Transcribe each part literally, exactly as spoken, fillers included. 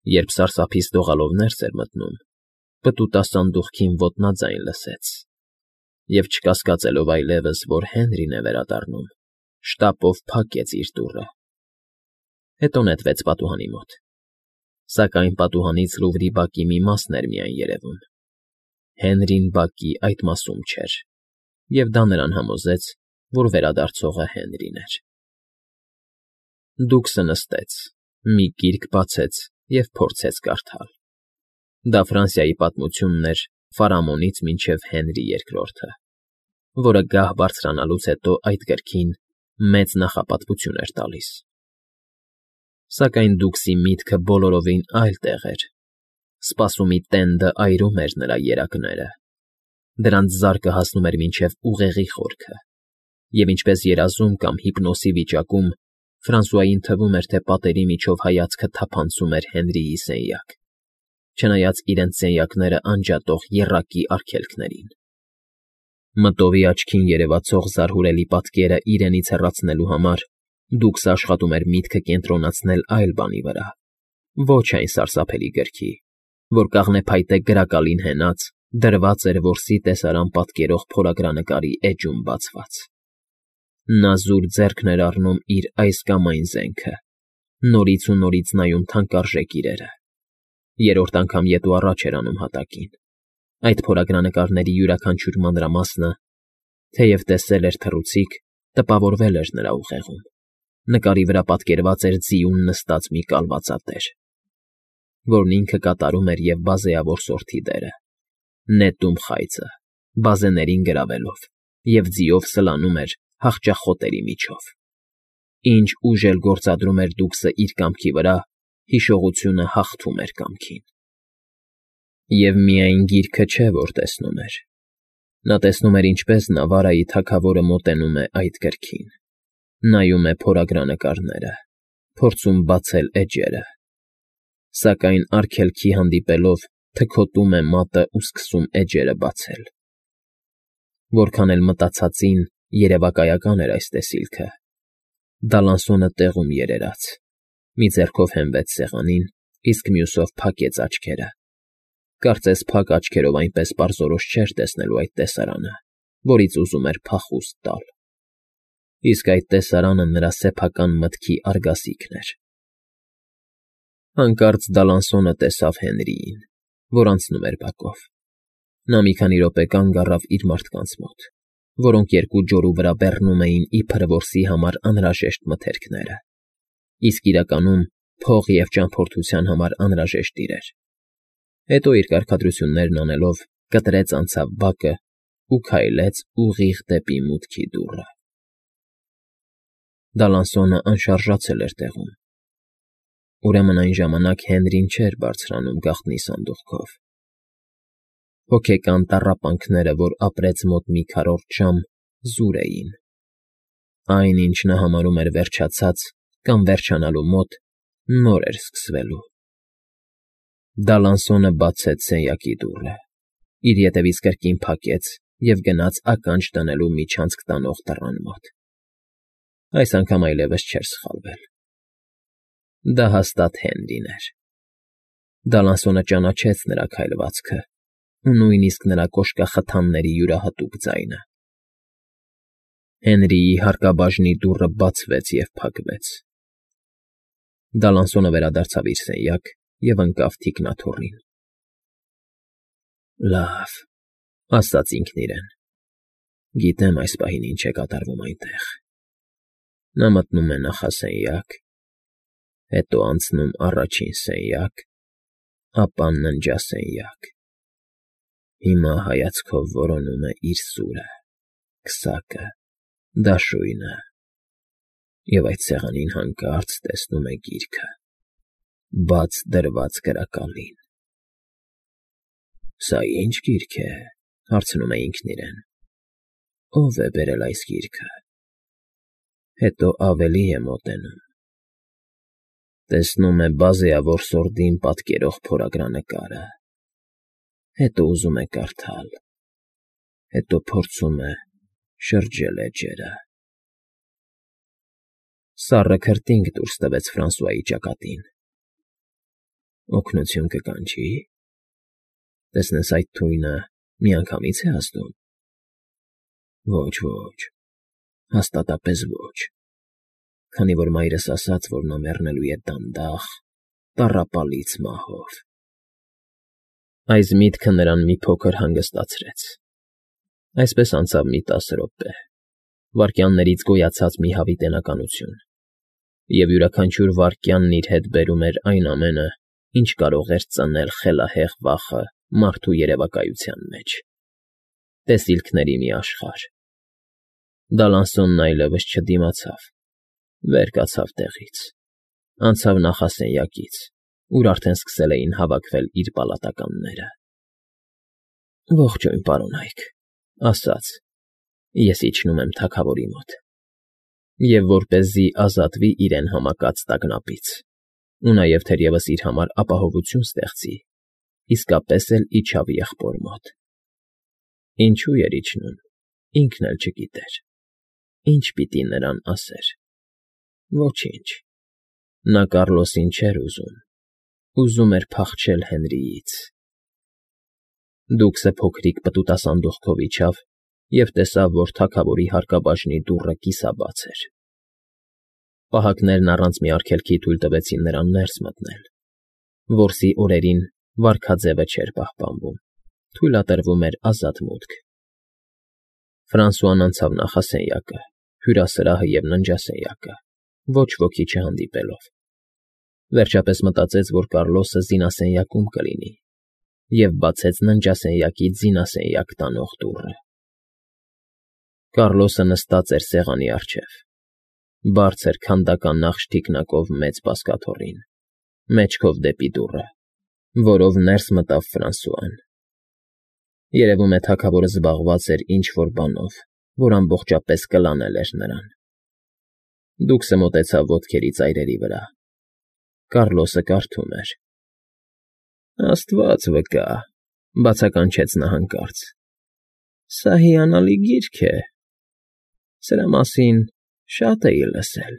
Երբ սարսափից դողալով ներս էր մտնում, պտուտա սանդուղքին ոտնաձայն լսեց և, չկասկածելով այլևս, որ Հենրին է վերադառնում, շտապով փակեց իր դուռը, հետո նետվեց պատուհանի մոտ, սակայն պատուհանից լուռի բակի մի մասն էր միայն երևում. Հենրին բակի այդ մասում չէր, և դա նրան համոզեց, որ վերադարձողը Հենրին էր։ Դուքսը նստեց, մի գիրք բացեց և փորձեց կարդալ. դա Ֆրանսիայի պատմությունն էր Ֆարամոնից մինչև Հենրի երկրորդը, որը գահ բարձրանալուց հետո այդ գրքին մեծ նախապատվություն էր տալիս։ Սակայն Դուքսի միտքը բոլորովին այլ տեղ էր. սպասումի տենդը այրում էր նրա երակները, դրանց զարկը հասնում էր մինչև ուղեղի խորքը, և ինչպես երազում կամ հիպնոսի վիճակում Ֆրանսուային թվում էր, թե պատերի միջով հայացքը թափանցում էր Հենրիի սենյակ, չնայած իրենց սենյակները անջատող եռակի արգելքներին։ Մտովի աչքին երևացող զարհուրելի պատկերը իրենից հեռացնելու համար Դուքսը աշխատում էր միտքը կենտրոնացնել այլ բանի վրա, ոչ այն սարսափելի գրքի, որ կաղնեփայտե գրակալին հենած դրված էր որսի տեսարան պատկերող փորագրանկարի էջում բացված։ Նա զուր ձեռքն էր առնում իր այս կամ այն զենքը, նորից ու նորից նայում թանկարժեք իրերը, երրորդ անգամ ետ ու առաջ էր անում հատակին, այդ փորագրանկարների յուրաքանչյուր մանրամասնը, թեև տեսել էր թռուցիկ, տպավորվել էր նրա ուղեղում, նկարի վրա պատկերված էր ձիուն նստած մի կալվածատեր, որն ինքը կատարում էր և բազեավոր սորթի դերը, նետում խայծը, բազեներին գրավելով և ձիով սլանում էր հախճախոտերի միջով։ Ինչ ուժ էլ գործադրում էր Դուքսը իր կամքի վրա, հիշողությունը հաղթում էր կամքին։ Եվ միայն գիրքը չէ, որ տեսնում էր. նա տեսնում էր, ինչպես Նավարայի թագավորը մոտենում է այդ գրքին, նայում է փորագրանկարները, փորձում բացել էջերը, սակայն արգելքի հանդիպելով թքոտում է մատն ու սկսում էջերը բացել։ Որքան էլ մտածածին երևակայական էր այս տեսիլքը, Դալանսոնը տեղում երերաց, մի ձեռքով հենվեց սեղանին, իսկ մյուսով փակեց աչքերը, կարծես փակ աչքերով այնպես պարզորոշ չէր տեսնելու այդ տեսարանը, որից ուզում էր փախուստ տալ, իսկ այդ տեսարանը նրա սեփական մտքի արգասիքն էր։ Հանկարծ Դալանսոնը տեսավ Հենրիին, որ անցնում էր բակով։ Նա մի քանի րոպե կանգ առավ իր մարդկանց մոտ, որոնք երկու ջորու վրա բեռնում էին իբր որսի համար անհրաժեշտ մթերքները, իսկ իրականում փող և ճամփորդության համար անհրաժեշտ իրեր, հետո իր կարգադրություններն անելով կտրեց անցավ բակն ու քայլեց ուղիղ դեպի մուտքի դուռը։ Դալանսոնը անշարժացել էր տեղում։ Ուրեմն այն ժամանակ Հենրին չէր բարձրանում գաղտնի սանդուղքով։ Հոգեկան տառապանքները, որ ապրեց մոտ մի քառորդ ժամ, զուր էին։ Այն, ինչ նա համարում էր վերջացած կամ վերջանալու մոտ, նոր էր սկսվելու։ Դալանսոնը բացեց սենյակի դուռը, իր ետևից կրկին փակեց և գնաց ականջ դնելու միջանցք տանող դռան մոտ։ Այս անգամ այլևս չէր սխալվել։ Դա հաստատ Հենրին էր։ Դալանսոնը ճանաչեց նրա քայլվածքը ու նույնիսկ նրա կոշկախթանների յուրահատուկ ձայնը։ Հենրիի հարկաբաժնի դուռը բացվեց և փակվեց։ Դալանսոնը վերադարձավ իր սենյակ և ընկավ թիկնաթոռին։ «Լավ,֊ ասաց ինքն իրեն,֊ գիտեմ այս պահին ինչ է կատարվում այնտեղ»։ Նա մտնում է նախասենյակ, հետո անցնում առաջին սենյակ, ապա ննջասենյակ, հիմա հայացքով որոնում է իր սուրը, քսակը, դաշույնը և այդ սեղանին հանկարծ տեսնում է գիրքը, բաց դրված գրակալին։ «Սա ի՞նչ գիրք է,֊ հարցնում է ինքն իրեն,֊ ո՞վ է բերել այս գիրքը»։ Հետո ավելի է մոտենում, տեսնում է բազեավոր սորդին պատկերող փորագրանկարը, հետո ուզում է կարդալ, հետո փորձում է շրջել էջերը։ Սառը քրտինք դուրս տվեց Ֆրանսուայի ճակատին։ Օգնություն կկանչի՞։ Տեսնես այդ թույնը միանգամից է ազդում։ Ոչ, ոչ, հաստատապես ոչ, քանի որ մայրս ասաց, որ նա մեռնելու է դանդաղ, տառապալից մահով։ Այս միտքը նրան մի փոքր հանգստացրեց։ Այսպես անցավ մի տասը րոպե, վայրկյաններից գոյացած մի հավիտենականություն, և յուրաքանչյուր վայրկյանն իր հետ բերում էր այն ամենը, ինչ կարող էր ծնել խելահեղ վախը մարդու երևակայության մեջ։ Տեսիլքների մի աշխարհ։ Դալանսոնն այլևս չդիմացավ, վեր կացավ տեղից, անցավ նախասենյակից, ուր արդեն սկսել էին հավաքվել իր պալատականները։ Ողջույն, պարոնայք, ասաց. Ես իջնում եմ թագավորի մոտ։ Եվ որպեսզի ազատվի իրեն համակած տագնապից, ու նաև թերևս իր համար ապահովություն ստեղծի, իսկապես էլ իջավ եղբոր մոտ։ Ինչու էր իջնում, ինքն էլ չգիտեր։ Ինչ պիտի նրան ասեր։ Ոչինչ։ Նա Կառլոսին չէր ուզում, ուզում էր փախչել Հենրիից։ Դուքսը փոքրիկ պտուտասանդուղքով իջավ և տեսավ, որ թագավորի հարկաբաժնի դուռը կիսաբաց էր։ Պահակներն առանց մի արգելքի թույլ տվեցին նրան ներս մտնել։ Որսի օրերին վարքաձևը չէր պահպանվում, թույլատրվում էր ազատ մուտք։ Ֆրանսուան անցավ նախասենյակը, հյուրասրահը և ննջասենյակը, ոչ ոքի չհանդիպելով։ Վերջապես մտածեց, որ Կառլոսը զինասենյակում կլինի, և բացեց ննջասենյակի զինասենյակ տանող դուռը։ Կառլոսը նստած էր սեղանի առջև, բարձր քանդական նախշ թիկնակով մեծ բազկաթոռին, մեջքով դեպի դուռը, որով ներս մտավ Ֆրանսուան։ Երևում է թագավորը զբաղված էր ինչ֊որ բանով, որ ամբողջապես կլանել էր նրան։ Դուքսը մոտեցավ ոտքերի ծայրերի վրա։ Կառլոսը կարդում էր։ Աստված վկա, բացականչեց նա հանկարծ։ Սա հիանալի գիրք է։ Սրա մասին շատ էի լսել,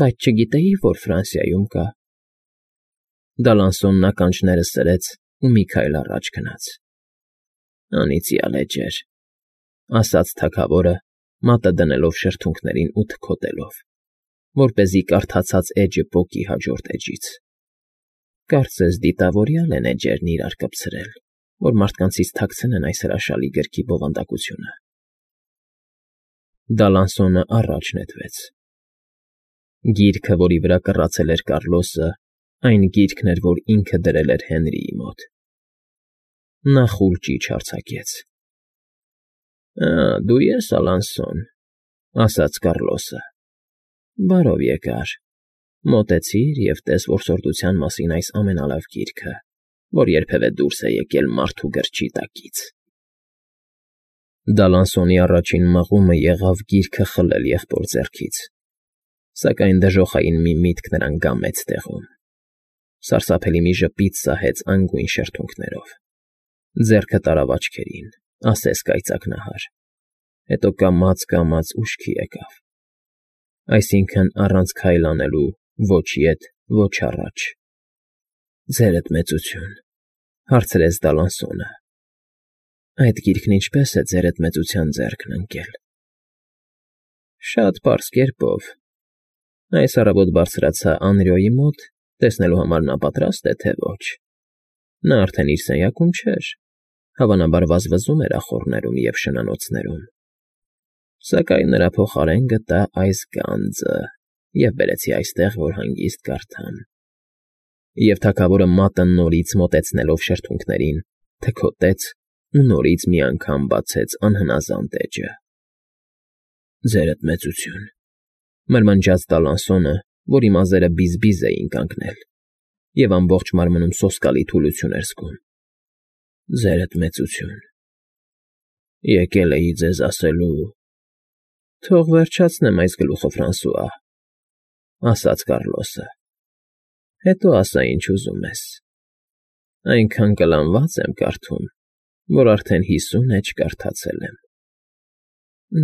բայց չգիտեի, որ Ֆրանսիայում կա։ Դալանսոնն ականջները սրեց ու մի քայլ առաջ գնաց։ Անիծյալ էջեր, ասաց թագավորը, մատը դնելով շրթունքներին ու թքոտելով, որպեսզի կարդացած էջը պոկի հաջորդ էջից։ Կարծես դիտավորյալ են էջերն իրար կպցրել, որ մարդկանցից թաքցնեն այս հրաշալի գրքի բովանդակությունը։ Դալանսոնը առաջ նետվեց։ Գիրքը, որի վրա կռացել էր Կառլոսը, այն գիրքն էր, որ ինքը դրել էր Հենրիի մոտ։ Նա խուլ ճիչ արձակեց։ Ա, դու ես, Ալանսոն, ասաց Կառլոսը։ Բարով եկար։ Մոտեցիր և տես որսորդության մասին այս ամենալավ գիրքը, որ երբևէ դուրս է եկել մարդու գրչի տակից։ Դալանսոնի առաջին մղումը եղավ գիրքը խլել եղբոր ձեռքից, սակայն դժոխային մի միտք նրան գամեց տեղում։ Սարսափելի մի ժպիտ սահեց անգույն շրթունքներով։ Ձեռքը տարավ աչքերին, ասես կայծակնահար, հետո կամաց֊կամաց ուշքի եկավ։ Այսինքն՝ առանց քայլ անելու ոչ ետ, ոչ առաջ։ Ձերդ մեծություն, հարցրեց Դալանսոնը։ Այդ գիրքն ինչպե՞ս է ձերդ մեծության ձեռքն ընկել։ Շատ պարզ կերպով։ Այս առավոտ բարձրացա Անրիոյի մոտ, տեսնելու համար նա պատրաստ է, թե ոչ։ Նա արդեն իր սենյակում չէր, հավանաբար վազվզում էր ախոռներում և շնանոցներում։ Սակայն նրա փոխարեն գտա այս գանձը և բերեցի այստեղ, որ հանգիստ կարդամ։ Եվ թագավորը մատը նորից մոտեցնելով շրթունքներին, թքոտեց ու նորից մի անգամ բացեց անհնազանդ էջը։ Ձերդ մեծություն, մրմնջաց Դալանսոնը, որի մազերը բիզ֊բիզ էին կանգնել, և ամբողջ մարմնում սոսկալի թուլություն էր զգում։ Ձերդ մեծություն, եկել էի ձեզ ասելու… Թող վերջացնեմ այս գլուխը, Ֆրանսուଆ, ասաց Կառլոսը, հետո ասա, ինչ ուզում ես։ Այնքան կլանված եմ կարդում, որ արդեն հիսուն էջ կարդացել եմ։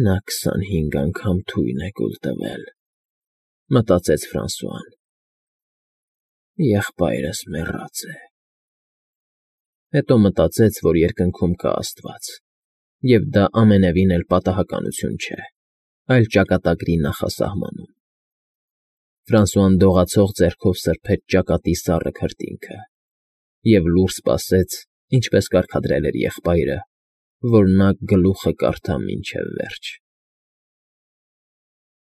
Նա քսանհինգ անգամ թույն է կուլ տվել, մտածեց Ֆրանսուան։ Եղբայրս մեռած է… Հետո մտածեց, որ երկնքում կա աստված, և դա ամենևին էլ պատահականություն չէ, այլ ճակատագրի նախասահմանում… Ֆրանսուան դողացող ձեռքով սրբեց ճակատի սառը քրտինքը և լուռ սպասեց, ինչպես կարգադրել էր եղբայրը, որ նա գլուխը կարդա մինչև վերջ։